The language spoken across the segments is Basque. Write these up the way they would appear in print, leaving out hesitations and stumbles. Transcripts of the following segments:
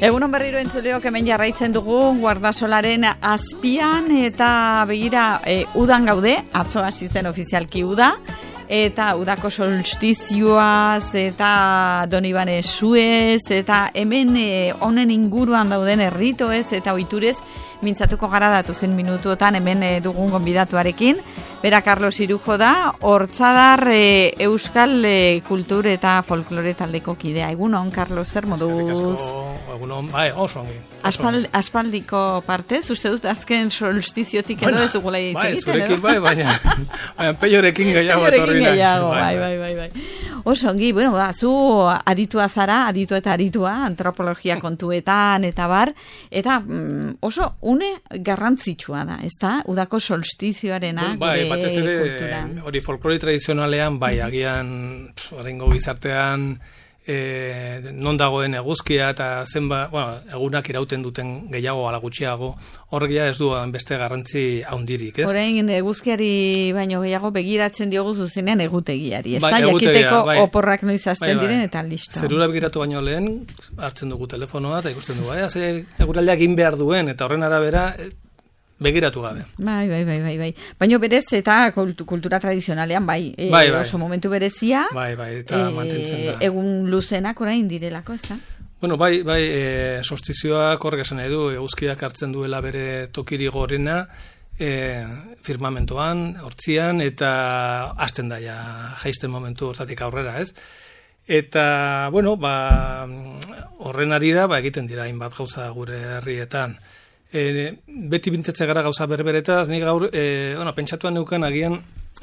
Egunon berriro entzuleok hemen jarraitzen dugu Guardasolaren azpian eta begira udan gaude, atzo hasi zen ofizialki uda, eta udako solstizioaz eta Donibane Suez eta hemen honen inguruan dauden erritoez eta ohiturez mintzatuko gara datozen minutuotan hemen dugun gonbidatuarekin. Bera Carlos Irujo da, Hortzadar Euskal Kultur eta Folklore taldeko kidea. Egunon, Carlos, zer moduz? Egunon, bai, oso ongi. Aspaldiko partez, uste dut azken solstiziotik edo ez dugula hitz egiten, zurekin bai, baina peiorekin gehiago etorri naiz. Bai. Oso ongi, bueno, zu aditua zara, aditua eta aditua, antropologia kontuetan eta bar, eta oso une garrantzitsua da, ezta? Udako solstizioarena, bai, batez ere, hori folklore tradizionalean, bai, agian, oraingo gizartean, non dagoen eguzkia eta zenba, bueno, egunak irauten duten gehiago ala gutxiago, horregia ez du beste garrantzi handirik, ez? Orain eguzkiari baino gehiago begiratzen diogu zuzenean egutegiari, ez da? Egutegia, jakiteko oporrak noiz hasten diren eta listo. Zerura begiratu baino lehen, hartzen dugu telefonoa eta ikusten dugu, ze eguraldiak egin behar duen eta horren arabera begiratu gabe. Bai. Baina berez eta kultura tradizionalean bai. Oso momentu berezia. Bai, eta mantentzen da. Egun luzenak orain direlako, ez da? Bueno, bai, solstizioak horrek esan nahi du, eguzkiak hartzen duela bere tokiri gorena, firmamentoan, hortzian, eta hasten da ja jaisten momentu hortatik aurrera, ez? Eta, bueno, horren arira, egiten dira hainbat gauza gure herrietan. Beti bintetze gara gauza berberetaz, nik gaur, pentsatuan neukan agian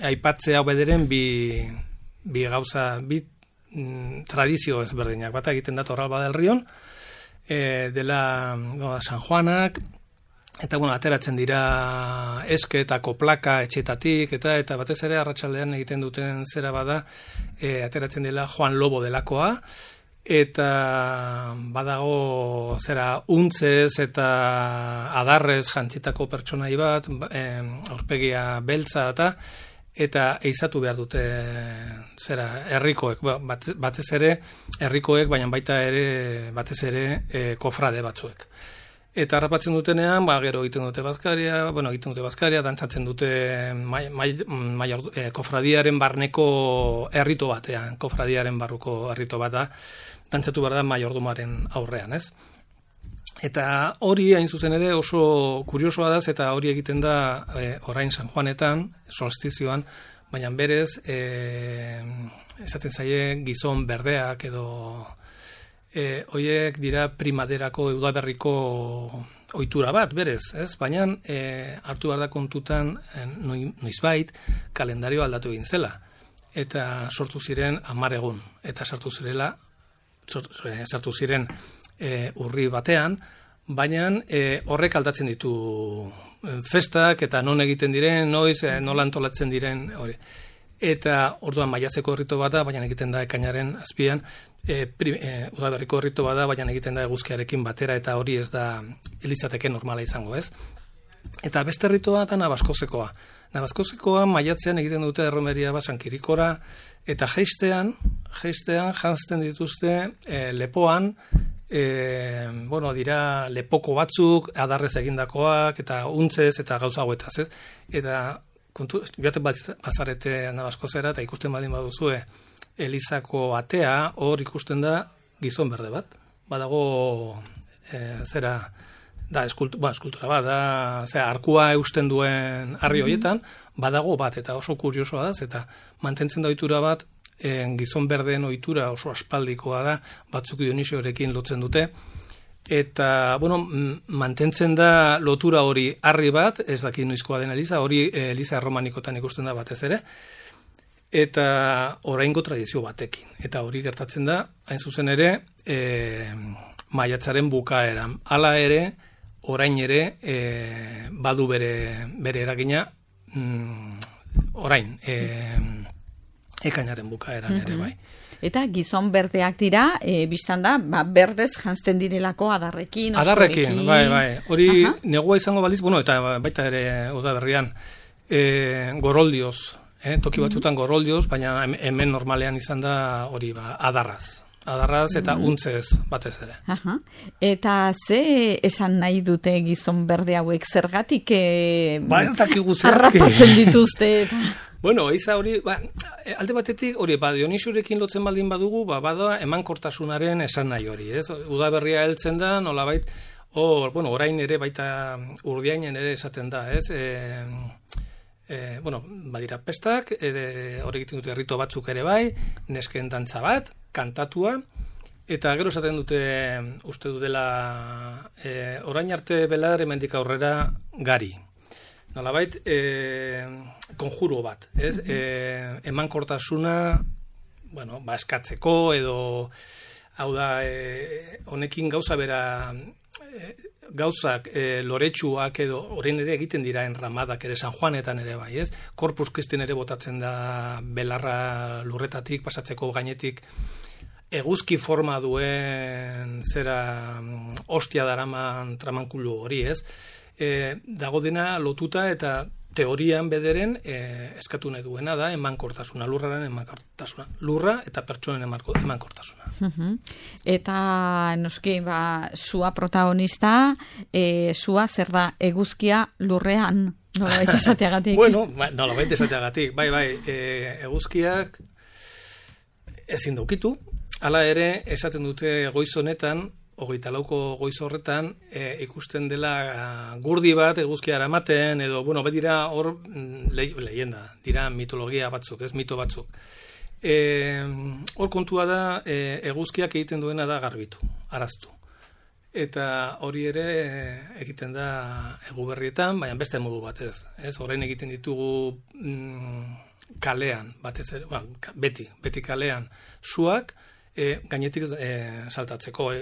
aipatzea bederen bi gauza, bi tradizio ezberdinak. Bata egiten da Torralba del Rion, dela San Juanak, eta ateratzen dira eske eta koplaka etxetatik, eta batez ere arratsaldean egiten duten zera bada, ateratzen dela Juan Lobo delakoa, eta badago untzez eta adarrez jantzitako pertsonai bat, aurpegia beltza eta eizatu behar dute herrikoek, batez ere herrikoek, baina baita ere batez ere kofrade batzuek. Eta harrapatzen dutenean, gero egiten dute bazkaria, dantzatzen dute kofradiaren barneko herrito batean, kofradiaren barruko herrito bat da, dantzatu behar da maiordumaren aurrean, ez? Eta hori hain zuzen ere oso kuriosoa da, eta hori egiten da orain San Juanetan, solstizioan, baina berez, esaten zaie gizon berdeak edo hoiek dira primaderako udaberriko ohitura bat, berez, ez? Baina hartu behar da kontutan noizbait kalendario aldatu egin zela. Eta sortu ziren 10 egun. Eta sartu ziren urri batean, baina horrek aldatzen ditu festak eta non egiten diren, noiz, nola antolatzen diren hori. Eta orduan maiatzeko errito bada, baina egiten da ekainaren azpian, udaberriko errito bada, baina egiten da eguzkiarekin batera, eta hori ez da elizateke normala izango, ez? Eta beste erritoa da Nabaskozekoa. Nabaskozekoa maiatzean egiten dute erromeria San Kirikora, eta jeistean janzten dituzte lepoan, dira lepoko batzuk, adarrez egindakoak, eta untzez, eta gauza hauetaz, ez? Eta joaten bazarete Nabaskozera eta ikusten badin baduzue Elizako atea, hor ikusten da gizon berde bat. Badago eskultura bat, arkua eusten duen harri horietan, badago bat, eta oso kuriosoa da, eta mantentzen da ohitura bat, gizon berdeen ohitura oso aspaldikoa da, batzuk Dionisiorekin lotzen dute, eta, mantentzen da lotura hori harri bat, ez dakit noizkoa den Eliza, hori Eliza erromanikotan ikusten da batez ere, eta oraingo tradizio batekin. Eta hori gertatzen da, hain zuzen ere, maiatzaren bukaeran. Hala ere, orain ere, badu bere eragina, orain, ekainaren bukaeran ere, bai. Eta gizon berdeak dira, biztan da, berdez janzten direlako adarrekin, adarrekin, bai. Hori negua izango baliz, eta baita ere udaberrian, goroldioz, toki batzutan goroldioz, baina hemen normalean izan da hori adarraz. adarraz eta untzez batez ere. Aha. Eta ze esan nahi dute gizon berde hauek zergatik ez dakigu zehazki. harrapatzen dituzte? Bueno, eiza hori, alde batetik, hori, Dionisurekin lotzen baldin badugu, bada emankortasunaren esan nahi hori, ez? Udaberria heltzen da, nolabait, orain ere baita Urdiainen ere esaten da, ez? Badira pestak, hori egiten dute rito batzuk ere bai, nesken dantza bat, kantatua, eta gero esaten dute, uste dutela, orain arte belar hemendik aurrera gari. Nolabait, konjuro bat, ez? Emankortasuna, eskatzeko edo, hau da, honekin gauza bera, gauzak loretsuak edo orain ere egiten dira enramadak ere San Juanetan ere bai, ez? Corpus Christi ere botatzen da belarra lurretatik pasatzeko gainetik eguzki forma duen zera ostia daraman tramankulu hori, ez? Dago dena lotuta eta teorian bederen eskatu nahi duena da emankortasuna, lurraren emankortasuna. Lurra eta pertsonen emankortasuna. Eta noski, sua protagonista, sua zer da eguzkia lurrean, nolabait esateagatik? Nolabait esateagatik, bai, eguzkiak ezin daukitu, hala ere esaten dute goiz honetan, 24ko goiz horretan ikusten dela gurdi bat eguzkia eramaten edo bedira hor leyenda, dira mitologia batzuk, ez mito batzuk. Hor kontua da eguzkiak egiten duena da garbitu, araztu. Eta hori ere egiten da Eguberrietan, baina beste modu batez, ez? Orain egiten ditugu kalean, batez ere, beti kalean suak gainetik saltatzeko.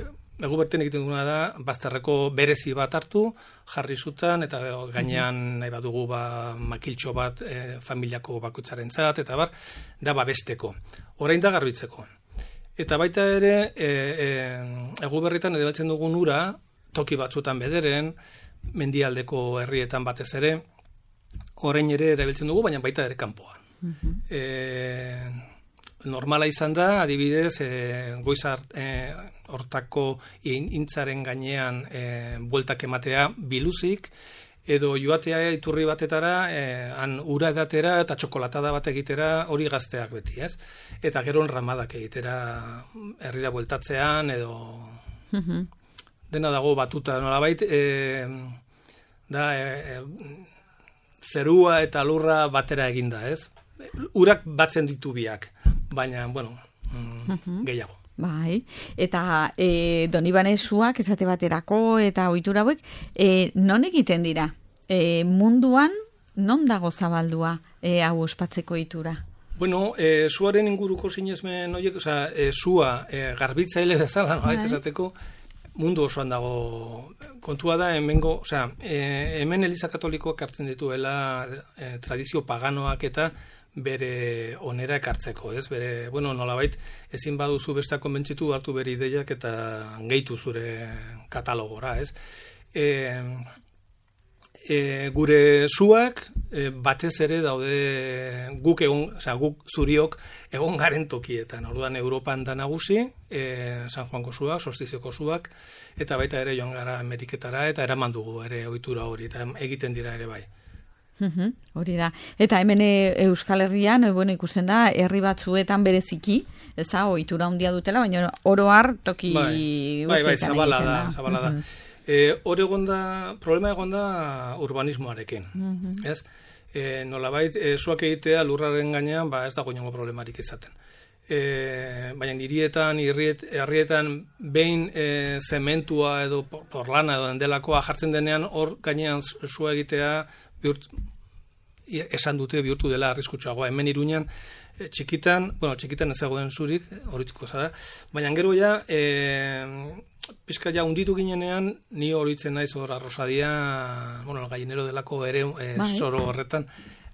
Eguberten egiten duguna da, bazterreko berezi bat hartu, jarri zutan, eta gainean nahi badugu makiltxo bat familiako bakoitzarentzat, eta da babesteko. Orain da garbitzeko. Eta baita ere, Eguberritan erabiltzen dugun ura, toki batzutan bederen, mendialdeko herrietan batez ere, orain ere erabiltzen dugu, baina baita ere kanpoan. Normala izan da, adibidez, goiz hortako intzaren gainean bueltak ematea biluzik, edo joatea iturri batetara, han ura edatera eta txokolatada bat egitera hori gazteak beti, ez? Eta gero enramadak egitera herrira bueltatzean, edo dena dago batuta, nolabait, zerua eta lurra batera eginda, ez? Urak batzen ditu biak, baina, gehiago. Bai, eta Donibane suak esate baterako eta ohitura hauek non egiten dira? Munduan non dago zabaldua hau ospatzeko ohitura? Suaren inguruko sinesmen horiek, sua garbitzaile bezala, esateko mundu osoan dago. Kontua da hemen Eliza Katolikoak hartzen dituela tradizio paganoak eta bere onera ekartzeko, ez? Bere, nolabait, ezin baduzu besta konbentzitu hartu bere ideiak eta gehitu zure katalogora, ez? Gure suak batez ere daude guk zuriok egon garen tokietan. Orduan Europan da nagusi, San Juanko suak, solstizioko suak, eta baita ere joan gara Ameriketara eta eraman dugu ere ohitura hori, eta egiten dira ere bai. Hori da. Eta hemen Euskal Herrian, ikusten da, herri batzuetan bereziki, ez da, ohitura handia dutela, baina oro har toki guztietan zabala da. Hor problema egon da urbanismoarekin, ez? Nolabait, suak egitea lurraren gainean, ez dago inongo problemarik izaten. Baina herrietan behin zementua edo porlana edo dendelakoa jartzen denean, hor gainean sua egitea esan dute bihurtu dela arriskutsuagoa. Hemen Iruñan txikitan ez zegoen zurik, horituko zara, baina gero pizka unditu ginenean, ni horitzen naiz hor Arrosadian, gallinero delako ere soro horretan,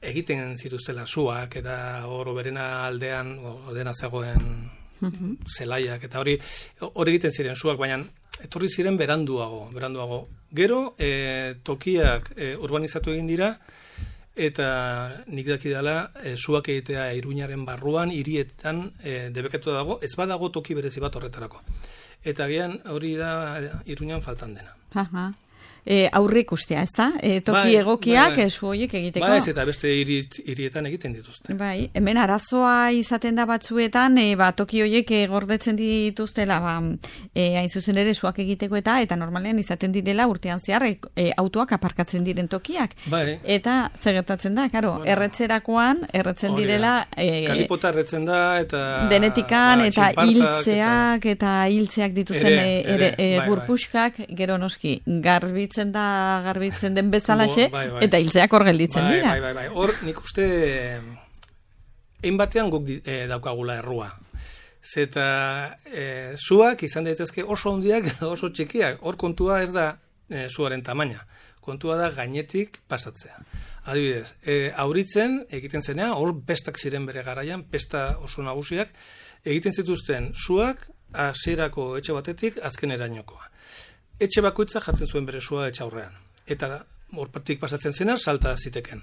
egiten zituztela suak, eta hor berena aldean, ordena zegoen zelaiak, eta hori egiten ziren suak, baina etorri ziren beranduago. Gero, tokiak urbanizatu egin dira, eta nik dakidala suak egitea Iruñaren barruan, hirietan debekatu dago, ez badago toki berezi bat horretarako. Eta gian hori da Iruñan faltan dena. Aha. Aurre ikustea, ez da? Toki egokiak su horiek egiteko. Ba, ez eta beste hirietan egiten dituzte. Bai, hemen arazoa izaten da batzuetan, toki horiek gordetzen dituztela, hain zuzen ere suak egiteko eta normalean izaten direla urtean zehar autoak aparkatzen diren tokiak. Bai. Eta zegertatzen da, karo, erretzerakoan, erretzen direla... Kalipota erretzen da, eta... Denetikan, eta hiltzeak, eta hiltzeak dituzten burpuskak, gero noski, garbitzen den bezalaxe, eta hiltzeak hor gelditzen dira. Bai. Hor, nik uste, egin batean guk daukagula errua. Zeta, suak izan daitezke oso handiak, oso txikiak. Hor kontua ez da suaren tamaina. Kontua da gainetik pasatzea. Adibidez, auritzen, egiten zenean, hor pestak ziren bere garaian, pesta oso nagusiak, egiten zituzten suak, hasierako etxe batetik, azken erainokoa. Etxe bakoitza jartzen zuen bere sua etxe aurrean. Eta horpatik pasatzen zena, salta ziteken.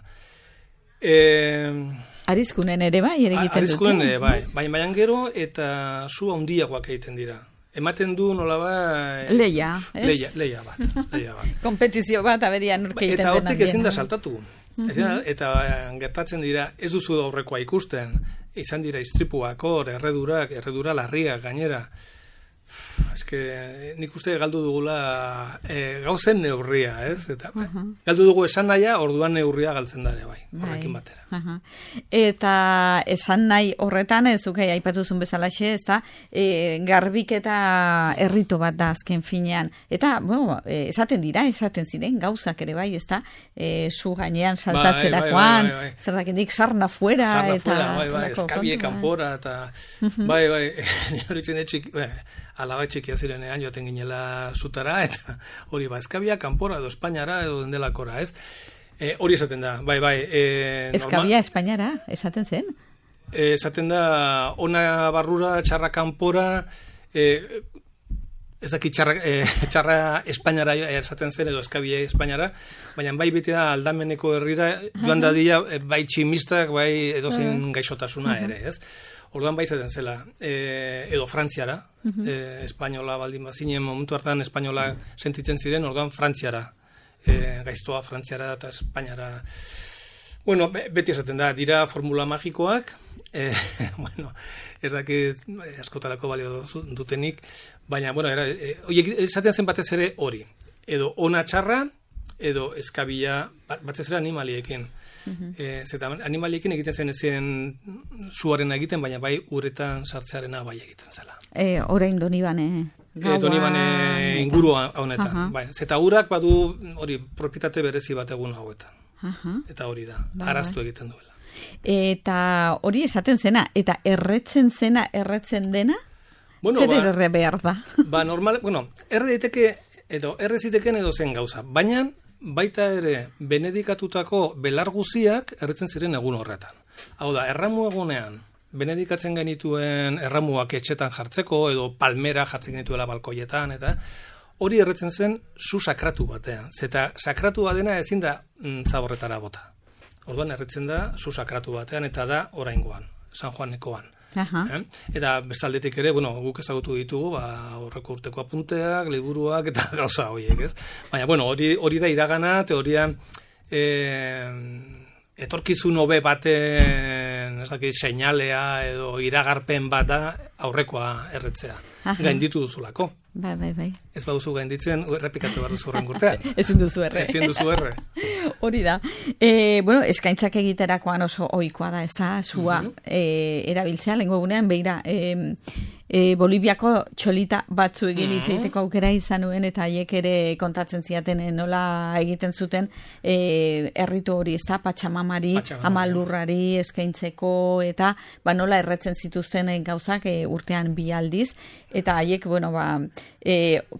Arizkunen ere bai, ere egiten dute. Arizkunen ere bai. Baina gero eta su handiagoak egiten dira. Ematen du nola Leia, ez? Leia bat. Kompetizio bat, aberian urke egiten eta hortik ezin da saltatu. Eta gertatzen dira, ez duzu aurrekoa ikusten. Izan dira istripuak hor, erredura larriak gainera. Nik uste galdu dugula gauzen neurria, ez? Eta galdu dugu esan nahia, orduan neurria galtzen dare, bai, horrekin batera. Eta esan nahi horretan, zukai aipatuzun bezalaxe, ez da, garbiketa errito bat da azken finean. Eta, bueno, esaten ziren, gauzak ere bai, ez da, su gainean saltatzerakoan, zer dakendik sarna fuera. Bai, eskabie kanpora, eta bai, horitzen etxik, alaba txikia zirenean joaten ginela zutara, eta hori eskabia kanpora edo Espainiara edo dendelakora, ez? Hori esaten da, bai. Eskabia Espainiara, esaten zen? Esaten da, ona barrura, txarra kanpora, ez daki txarra Espainiara esaten zen edo eskabia Espainiara, baina bai beti da aldameneko herrira, joan dadila, bai tximistak, bai edozein gaixotasuna ere, ez? Orduan bai zaten zela, edo Frantziara, espainola baldin bazinen, momentu hartan espainola sentitzen ziren, orduan Frantziara, gaiztoa Frantziara eta Espainiara. Bueno, beti esaten da, dira formula magikoak, ez dakit askotarako balio dutenik, baina, esaten zen batez ere hori, edo ona txarra, edo eskabila, batez ere animaliekin. Zeta animaliekin egiten zen ezien suaren egiten, baina bai uretan sartzearena bai egiten zela. Orain Donibane inguru honetan. Bai. Zeta urak badu hori propietate berezi bat egun hauetan. Eta hori da, araztu egiten duela. Eta hori esaten zena, eta erretzen dena? Zer erre behar da? Normal, erre ziteken edo zen gauza, baina baita ere, benedikatutako belar guziak erretzen ziren egun horretan. Hau da, erramu egunean, benedikatzen genituen erramuak etxetan jartzeko, edo palmera jartzen genituela balkoietan, eta hori erretzen zen zu sakratu batean. Zeta sakratu badena ezin da zaborretara bota. Orduan erretzen da zu sakratu batean, eta da oraingoan, San Juanekoan. Eta bestaldetik ere, guk ezagutu ditugu, horreko urteko apunteak, liburuak eta gauza horiek, ez? Baina, hori da iragana, teoria etorkizun hobe baten, seinalea edo iragarpen bat da aurrekoa erretzea. Gainditu duzulako. Bai. Ez baduzu gainditzen, errepikatu behar duzu horren gurtean. Ezin duzu erre. Hori da. Eskaintzak egiterakoan oso ohikoa da, ez da, sua erabiltzea, lehenko egunean, beira, Boliviako txolita batzu egin itzeiteko aukera izan nuen, eta haiek ere kontatzen ziaten nola egiten zuten erritu hori, ez da, patxamamari, amalurrari eskaintzeko, eta nola erretzen zituzten gauzak urtean bi aldiz, eta haiek,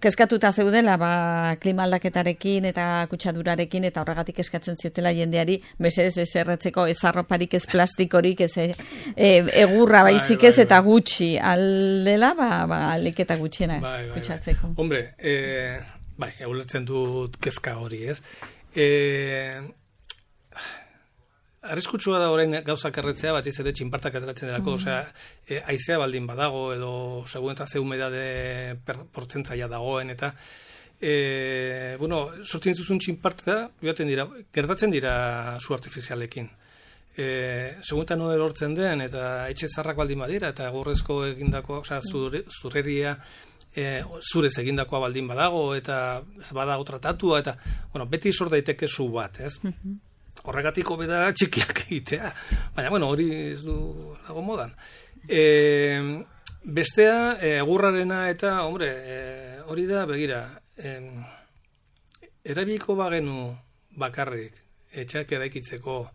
kezkatuta zeudela, klima aldaketarekin eta kutsadurarekin, eta horregatik eskatzen ziotela jendeari, mesedez ez erretzeko ez arroparik, ez plastikorik, ez egurra baizik ez, eta gutxi aldela, aliketa gutxiena kutsatzeko. Hombre, ulertzen dut kezka hori, ez? arriskutsua da orain gauzak erretzea, batiz ere txinpartak ateratzen delako, haizea baldin badago, edo segun eta ze humedade portzentzaia dagoen, eta sortzen dituzun txinparta, gertatzen dira zu artifizialekin. Segun eta noe lortzen den, eta etxe zarrak baldin badira, eta egurrezko egindako, zurreria, zurez egindakoa baldin badago, eta ez badago tratatua, eta, beti sor daiteke zu bat, ez? Horregatik hobe da txikiak egitea. Baina, hori ez du dago modan. Bestea, egurrarena eta, hori da, begira, erabiliko bagenu bakarrik etxak eraikitzeko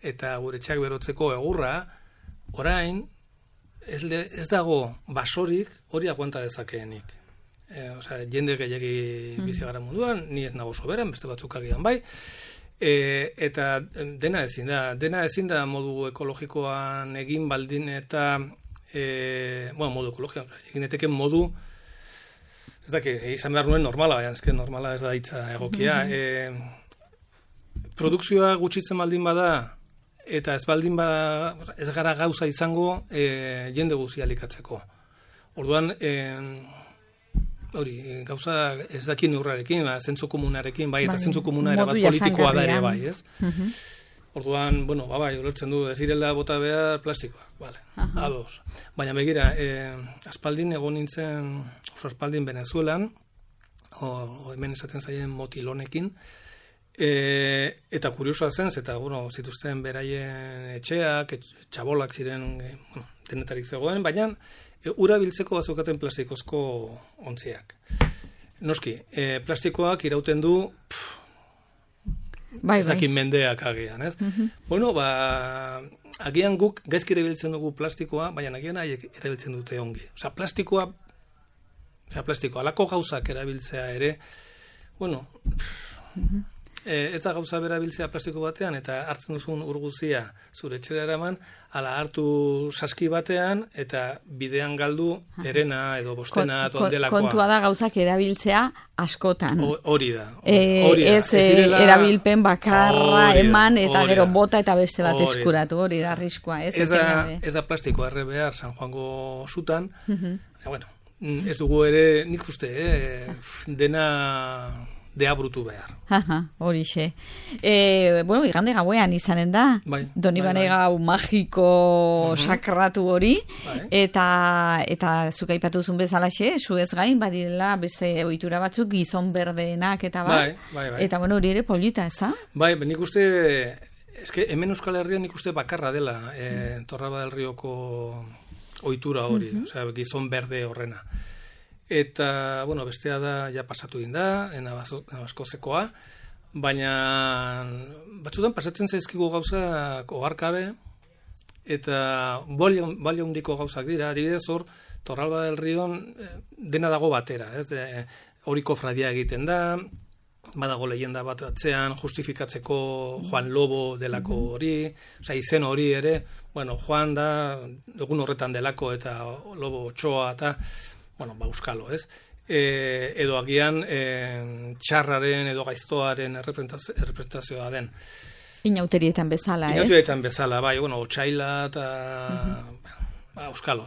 eta gure etxak berotzeko egurra, orain, ez dago basorik hori aguanta dezakeenik. Jende gehiagi bizi gara munduan, ni ez nago soberan, beste batzuk agian bai, eta dena ezin da modu ekologikoan egin baldin eta modu ekologikoan egin eteken modu ez daki, izan behar nuen normala, baina ezken normala ez da hitza egokia. Produkzioa gutxitzen baldin bada eta ez gara gauza izango jende guztia elikatzeko. Orduan, gauza ez dakin urrarekin, zentzu komunarekin, bai, eta zentzu komuna ere bat politikoa da ere bai, ez? Orduan, bai, ulertzen du, ez direla bota behar plastikoak, ados. Baina begira, aspaldin egon nintzen, aspaldin Venezuelan, hemen esaten zaien motilonekin, eta kuriosoa zen, eta, zituzten beraien etxeak, txabolak ziren, denetarik zegoen, baina ura biltzeko bazukaten plastikozko ontziak. Noski, plastikoak irauten du ezakin mendeak agian, ez? Agian guk gaizki erabiltzen dugu plastikoa, baina agian haiek erabiltzen dute ongi. Plastikoa, alako gauzak erabiltzea ere, ez da gauza berabiltzea plastiko batean, eta hartzen duzun urguzia zure etxera eraman, ala hartu saski batean, eta bidean galdu erena edo bostena tondelakoa. Kontua da gauzak erabiltzea askotan. Hori da. Ez erabilpen bakarra eman, eta gero bota eta beste bat eskuratu, hori da arriskua. Ez da plastikoa erre behar San Juango zutan, ez dugu ere, nik uste, dena deabrutu behar. Horixe. Igande gauean izanen da, Donibane gau magiko sakratu hori, eta zuk aipatu zuen bezalaxe, zuez gain, badirela beste ohitura batzuk gizon berdeenak eta eta hori ere polita, ez da? Bai, nik uste, hemen Euskal Herrian nik uste bakarra dela, Torralba del Rioko ohitura hori, gizon berde horrena. Eta, bestea da, ja pasatu da, Nabaskozekoa, baina batzutan pasatzen zaizkigu gauzak oharkabe, eta balio handiko gauzak dira, adibidez hor, Torralba del Rion dena dago batera, hori kofradia egiten da, badago leyenda bat atzean, justifikatzeko Juan Lobo delako hori, izen hori ere, Juan da, egun horretan delako, eta Lobo Otxoa, eta euskalo, ez? Edo agian txarraren edo gaiztoaren errepresentazioa den. Inauterietan bezala, ez? Inauterietan bezala, bai, otxaila eta euskalo.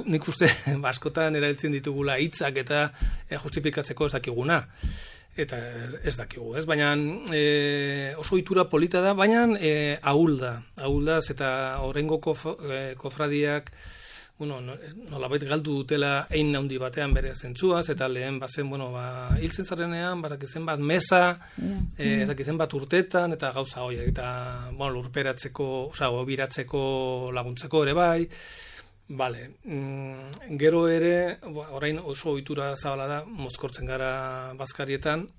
Nik uste askotan erabiltzen ditugula hitzak eta justifikatzeko ez dakiguna. Eta ez dakigu, ez? Baina oso ohitura polita da, baina ahuldaz eta horrengo kofradiak nolabait galdu dutela ein handi batean bere zentzuaz, eta lehen bazen, hiltzen zarenean, badakizen bat meza, ezakizen bat urtetan, eta gauza horiek, eta lurperatzeko, obiratzeko laguntzeko ere bai, gero ere, orain oso ohitura zabala da, mozkortzen gara bazkarietan,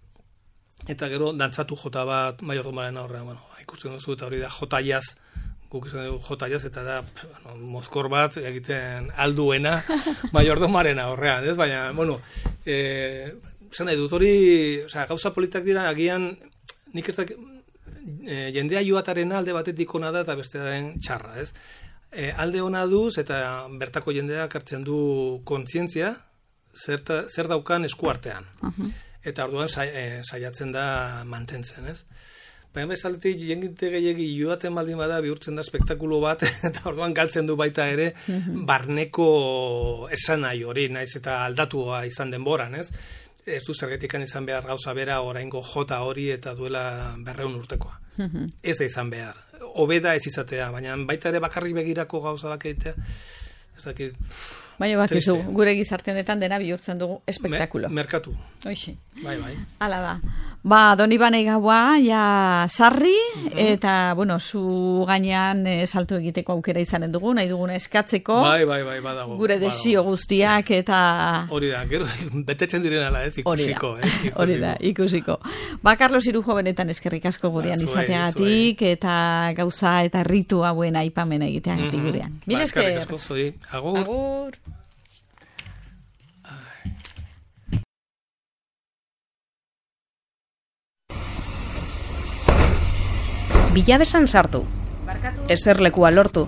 eta gero dantzatu jota bat maiordomaren aurrean, ikusten duzu, eta hori da jotaiaz, guk izan dugu jotaiaz, eta da mozkor bat egiten alduena maiordomaren aurrean, ez? Baina, esan nahi dut hori, gauza politak dira, agian, nik ez da, jendea joataren alde batetik ona da, eta bestearen txarra, ez? Alde ona duz, eta bertako jendeak hartzen du kontzientzia, zer daukan eskuartean. Eta orduan saiatzen da mantentzen, ez? baina bezaletik jenginte gehiagi joaten baldin bada bihurtzen da spektakulo bat, eta orduan galtzen du baita ere, barneko esanai hori, naiz eta aldatua izan denboran, ez? Ez du zergetikan izan behar gauza bera oraingo jota hori eta duela 200 urtekoa. Ez da izan behar. Hobeda ez izatea, baina baita ere bakarrik begirako gauza bak egitea, ez dakit... Baina bakizu, gure gizarte honetan dena bihurtzen dugu espektakulo. Merkatu. Hoxe. Bai. Hala da. Donibane gaua, ja sarri, eta, bueno, zu gainean salto egiteko aukera izanen dugu, nahi duguna eskatzeko. Bai, badago. Gure desio guztiak, eta... Hori da, gero, betetzen direnala, ez, ikusiko. Hori da, ikusiko. Carlos Irujo benetan eskerrik asko gurean izateagatik, eta gauza eta ritu hauen aipamena egiteagatik gurean. Mila esker. Eskerrik asko, zoi. Agur. Agur. Bilabesan sartu. Eserlekua lortu.